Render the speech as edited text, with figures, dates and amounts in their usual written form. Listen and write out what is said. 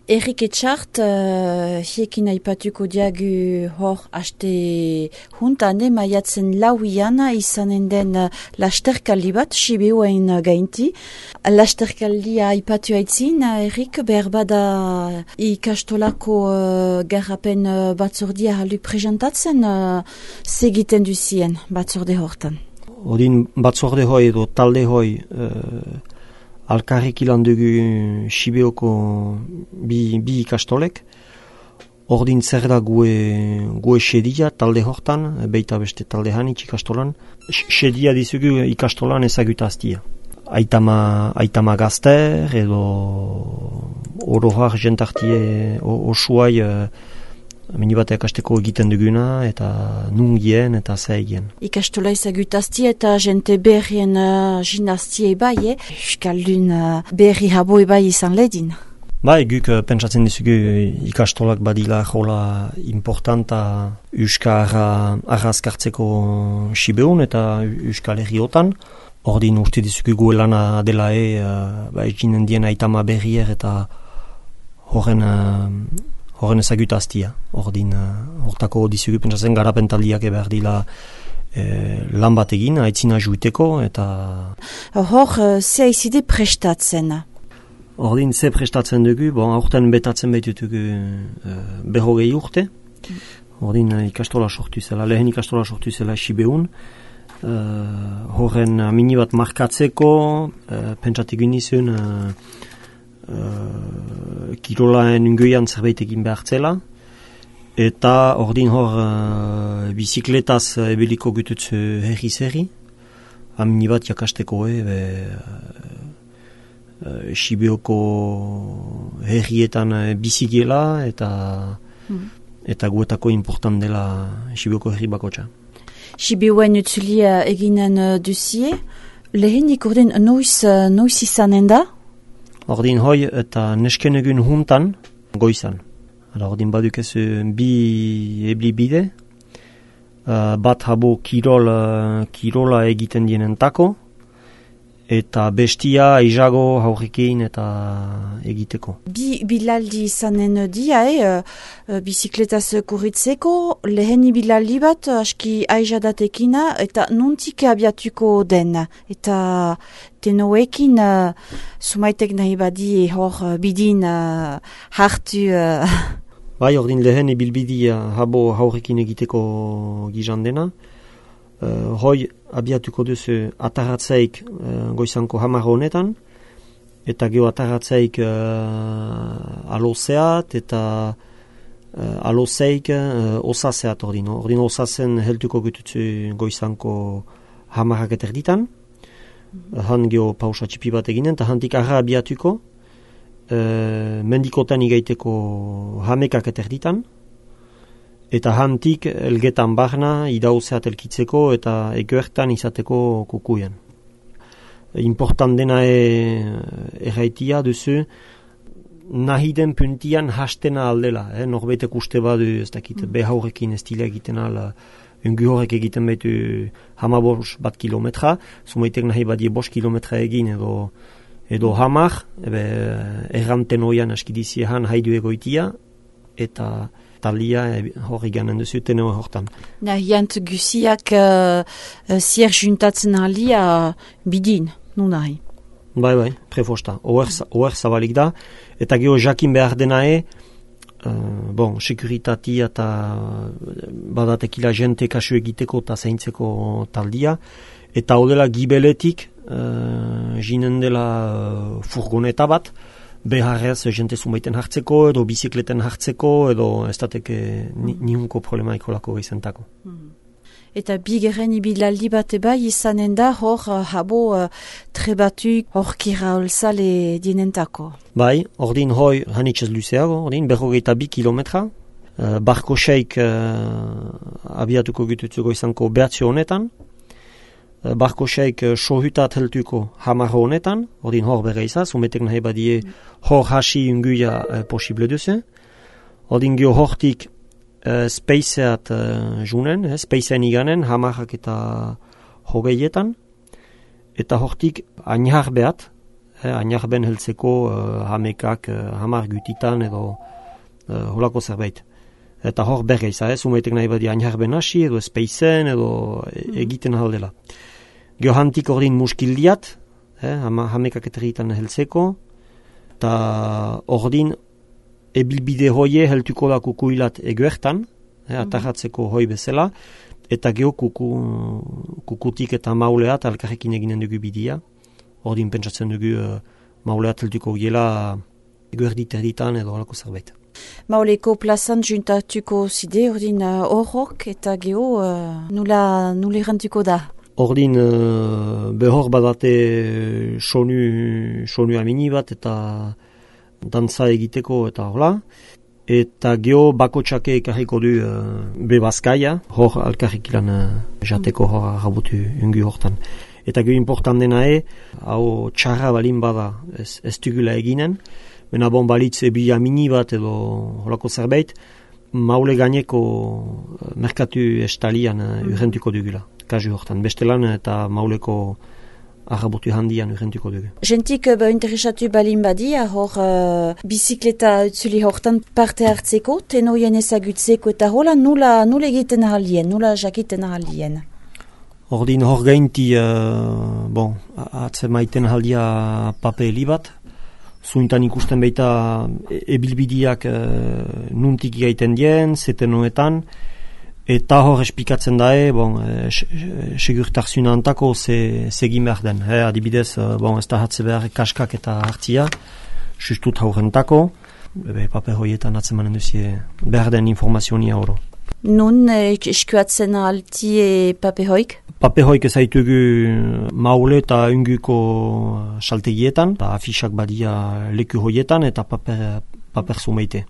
Erik Etxart, hiekin aipatuko diagu hor aste juntan, maiatzen lauian izanen den lasterkaldi bat, Sibiuen gainti. Lasterkaldia aipatu aitzin, Erik, behar bada ikastolako garrapen batzordia halu presentatzen segiten duzien batzorde hortan. Odin batzorde hoi edo talde hoi alkarrik ilan dugu Sibioko bi ikastolek. Ordin zer da gue sedia talde hortan, beita beste talde hanitz ikastolan. Sedia dizugu ikastolan ezagutaztia. Aitama gazter edo orohar jentartie osuai minibateak asteko egiten duguna eta nungien eta zaigien. Ikastola ezagutaztia eta jente berrien jinaztie bai, Euskaldun berri habo bai izan ledin. Bai, guk pentsatzen dizugu ikastolak badila jola importanta Euskara arrazkartzeko Sibeun eta Euskal Herriotan. Ordin uste dizugu guelana dela eginen dien aitama berrier eta horren ezagutaztia. Ordin hortako dizugu pentsatzen garapentaldiak behar dila lan bat egin, aitzina juiteko eta... Hor, ze aizide prestatzen? Ordin ze prestatzen dugu, aurten betatzen behitutugu 40 urte. Ordin ikastola sortu zela, lehen ikastola sortu zela Sibeun. Horren mini bat markatzeko, pentsatik inizun kirolaen ungoian zerbait egin behartzela. Eta ordin hor bizikletaz ebeliko gututzu herri-zerri. Mini bat jakasteko Sibioko herrietan bizigela eta guetako important dela Sibioko herri bakotxa. Sibiuen utzulia eginen duzie, lehenik ordin noiz izanen da? Ordin hoi eta nesken egun juntan goizan. Ordin badukezu bi eblibide, bat habo kirola egiten dienentako, eta bestia izago haurrekin eta egiteko. Bilaldi izanen dia, bizikletaz kurritzeko, leheni bilaldi bat aski aizadatekina eta nontik abiatuko den. Eta tenoekin sumaitek nahi badi hor bidin hartu... Bai, ordin lehen ibilbidia habo haurrekin egiteko gizan dena. Hoi abiatuko duzu ataratzaik goizanko 10 honetan, eta geho ataratzaik alozeat eta alozeik osazeat ordin. Ordin osazen heltuko gututzu goizanko 10 eterditan. Han geho pausa txipi bat eginen, eta hantik arra abiatuko mendikotan igaiteko 10 eterditan. Eta hantik elgetan barna idauzeat elkitzeko eta egoertan izateko kukuien. Important dena erraitia duzu nahi den puntian hastena aldela. Norbaitek uste badu ez dakit behaurekin ez dila egiten ala ungu horrek egiten behitu 15 kilometra. Zumaitek nahi badie 5 kilometra egin edo 10, erranten oian askidiziehan haidu egoitia eta talia hori ganen duzuten hortan. Nahiant guziak zier juntatzen alia bidin, nu nahi? Bai, prefosta. Oer zabalik da. Eta geho jakin behar denae, sekuritatea eta badatekila jente kasu egiteko eta zeintzeko taldia. Eta odela gibeletik, jinen dela furgoneta bat, beharrez jente zumaiten hartzeko, edo bizikleten hartzeko, edo ez dateke nihunko problema ikolako izentako. Eta bigarren ibilaldi bat bai izanen da hor habo trebatu hor kiraolzale dinentako. Bai, ordin hoi hanitxez luzeago, ordin 42 kilometra. Barko seik abiatuko gututzuko izanko behatzio honetan. Barko seik sohutat heltuko 10 honetan, ordin hor bere izaz, umetek nahi badie hor hasi unguia posible duzu. Ordin gio hortik speiseat junen, speiseen iganen, 10 eta 20etan, eta hortik ainhar behat ainarben heltzeko hamekak, hamar gutitan edo holako zerbait. Eta hor bergeiz, zumaitek nahi badi ainarben hasi edo espeizen edo egiten haldela. Geohantik ordin muskildiat, hamekak eterritan heltzeko, eta ordin ebilbide hoie heltuko da kukuilat eguertan, atarratzeko hoi bezala, eta geho kukutik eta mauleat alkarrekin eginen dugu bidia. Ordin pentsatzen dugu mauleat heltuko giela eguerdit erditan edo halako zerbait. Mauleko plazan juntatuko zide, ordin horrok eta geho nula errantuko da? Ordin behor badate sonu amini bat eta dantza egiteko eta hola. Eta geho bakotxake ekarriko du bebazkaia, hor alkarrik ilan jateko hor rabutu ungu hortan. Eta geho important dena hau txarra balin bada ez dugula eginen, bena bon balitz ebi amini bat edo holako zerbait, maule gaineko merkatu estalian urrentuko dugula, kasu hortan. Bestelan eta mauleko arrabotu handian urrentuko dugu. Jentik interesatu balin badia, hor bizikleta utzuli hortan parte hartzeko, tenoien ezagutzeko eta hola nula egiten ahalien, nula jakiten ahalien. Ordin hor gainti, atzemaiten ahaldia papeli bat, zuintan ikusten baita ebilbidiak nuntik gaiten dien, zetenoetan, eta hor espikatzen dae, segurtarzuna antako segin behar den. Adibidez, ez da hatze behar kaskak eta hartzia, justut haurentako, paper hoietan atzemanen duzie behar den informazionia oro. Nun eskuatzen alti paper hoik? Paper hoik ezaitugu maule eta unguko saltegietan, eta afisak badia leku hoietan eta paper zumeite.